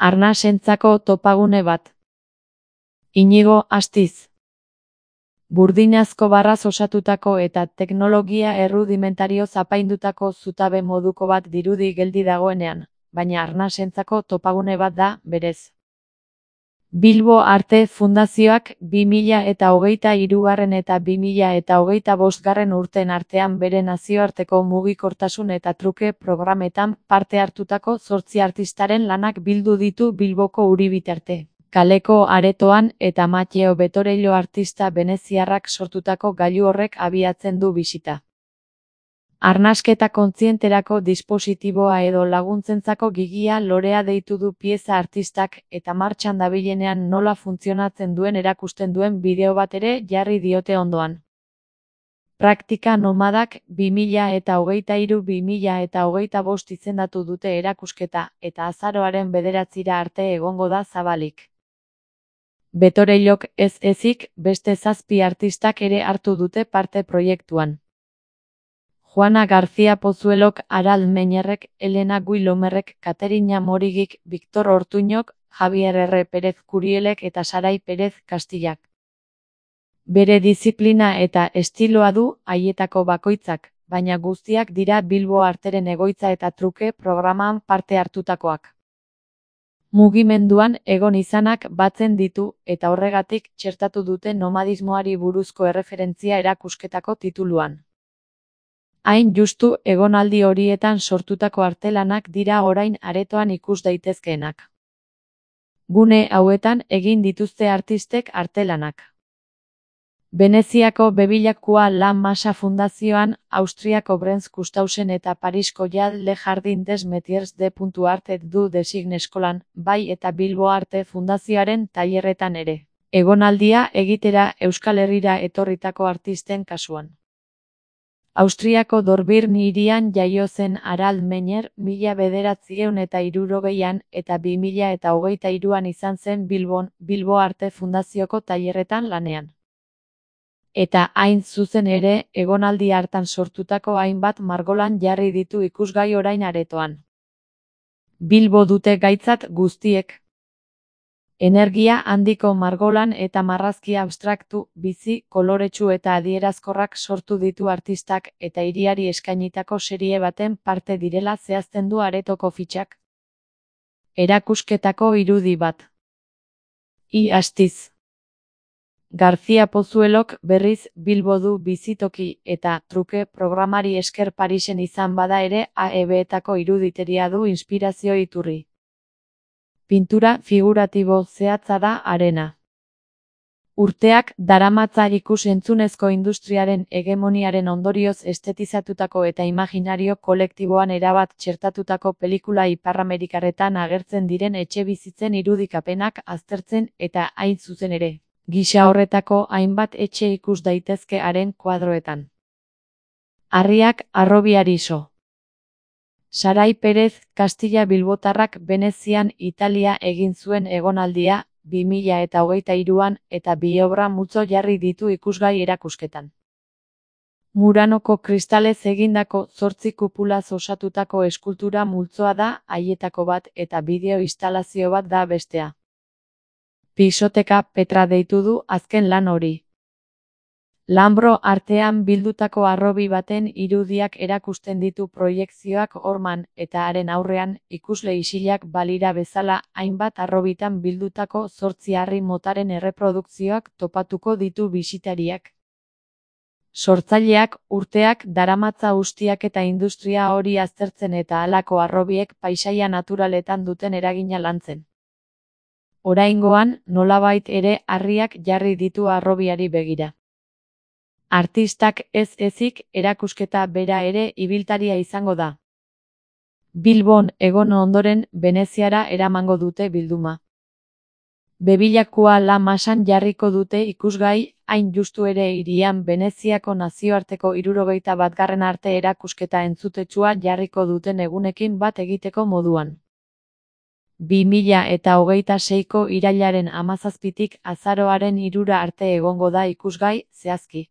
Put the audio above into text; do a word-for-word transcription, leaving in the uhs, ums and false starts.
Arnasentzako topagune bat. Inigo Astiz. Burdinazko barraz osatutako eta teknologia errudimentarioz apaindutako zutabe moduko bat dirudi geldi dagoenean, baina arnasentzako topagune bat da, berez. Bilbo Arte Fundazioak bi mila eta hogeita hirugarren eta bi mila eta hogeita bostgarren urteen artean bere nazioarteko mugikortasun eta truke programetan parte hartutako zortzi artistaren lanak bildu ditu Bilboko Uribitarte kaleko aretoan eta Mateo Betorello artista veneziarrak sortutako gailu horrek abiatzen du bisita. Arnasketa kontzienterako dispositiboa edo laguntzentzako gigia lorea deitu du pieza artistak eta martxan dabilenean nola funtzionatzen duen erakusten duen bideo bat ere jarri diote ondoan. Praktika nomadak bi mila eta hogeita hiru bi mila eta hogeita bost izendatu dute erakusketa eta azaroaren bederatzira arte egongo da zabalik. Betorellok ez ezik beste zazpi artistak ere hartu dute parte proiektuan. Juana García Pozuelok, Aral Meñerrek, Elena Guilomerrek, Katerina Morigik, Victor Ortuñok, Javier R. Pérez Curielek eta Sarai Pérez Castillak. Bere diziplina eta estiloa du haietako bakoitzak, baina guztiak dira Bilbo Arteren egoitza eta truke programan parte hartutakoak. Mugimenduan egon izanak batzen ditu eta horregatik txertatu dute nomadismoari buruzko erreferentzia erakusketako tituluan. Hain justu egonaldi horietan sortutako artelanak dira orain aretoan ikus daitezkeenak. Gune hauetan egin dituzte artistek artelanak. Veneziako Bevilacqua La Masa Fundazioan, Austriako Brenz Kustausen eta Parisko Jal Le Jardin des Métiers de Art et du Design eskolan, bai eta Bilbo Arte Fundazioaren tailerretan ere. Egonaldia egitera Euskal Herrira etorritako artisten kasuan. Austriako Dorbirn hirian jaio zen Aral Meñer mila bederatziehun eta hirurogeian eta bi mila eta hogeita hiruan izan zen Bilbon, Bilbo Arte Fundazioko tailerretan lanean. Eta hain zuzen ere, egonaldi hartan sortutako hainbat margolan jarri ditu ikusgai orain aretoan. Bilbo dute gaitzat guztiek. Energia handiko margolan eta marrazki abstraktu, bizi, koloretsu eta adierazkorrak sortu ditu artistak eta hiriari eskainitako serie baten parte direla zehazten du aretoko fitxak. Erakusketako irudi bat. I Astiz. García Pozuelok berriz Bilbo du bizitoki eta truke programari esker Parisen izan bada ere A E B-etako iruditeria du inspirazio iturri. Pintura figuratibo zehatza da arena. Urteak daramatza ikus-entzunezko industriaren hegemoniaren ondorioz estetizatutako eta imaginario kolektiboan erabat txertatutako pelikula iparramerikarretan agertzen diren etxebizitzen irudikapenak aztertzen eta hain zuzen ere. Gisa horretako hainbat etxe ikus daitezke haren kuadroetan. Harriak harrobiari so. Sarai Pérez Castilla Bilbotarrak Venezian Italia egin zuen egonaldia, bi mila eta hogeita hiruan eta bi obra multzo jarri ditu ikusgai erakusketan. Muranoko kristalez egindako zortzi kupulaz osatutako eskultura multzoa da haietako bat eta bideo instalazio bat da bestea. Pisoteka Petra deitu du azken lan hori. Lambro artean bildutako harrobi baten irudiak erakusten ditu proiekzioak horman eta haren aurrean ikusle isilak balira bezala hainbat harrobitan bildutako zortzi harri motaren erreprodukzioak topatuko ditu bisitariak. Sortzaileak urteak daramatza ustiak eta industria hori aztertzen eta halako harrobiek paisaia naturaletan duten eragina lantzen. Oraingoan, nolabait ere harriak jarri ditu harrobiari begira. Artistak ez ezik erakusketa bera ere ibiltaria izango da. Bilbon egon ondoren Veneziara eramango dute bilduma. Bevilacqua La Masan jarriko dute ikusgai, hain justu ere hirian Veneziako nazioarteko hirurogeita batgarren arte erakusketa entzutetsua jarriko duten egunekin bat egiteko moduan. bi mila eta hogeita seiko irailaren hamazazpitik azaroaren hirura arte egongo da ikusgai, zehazki.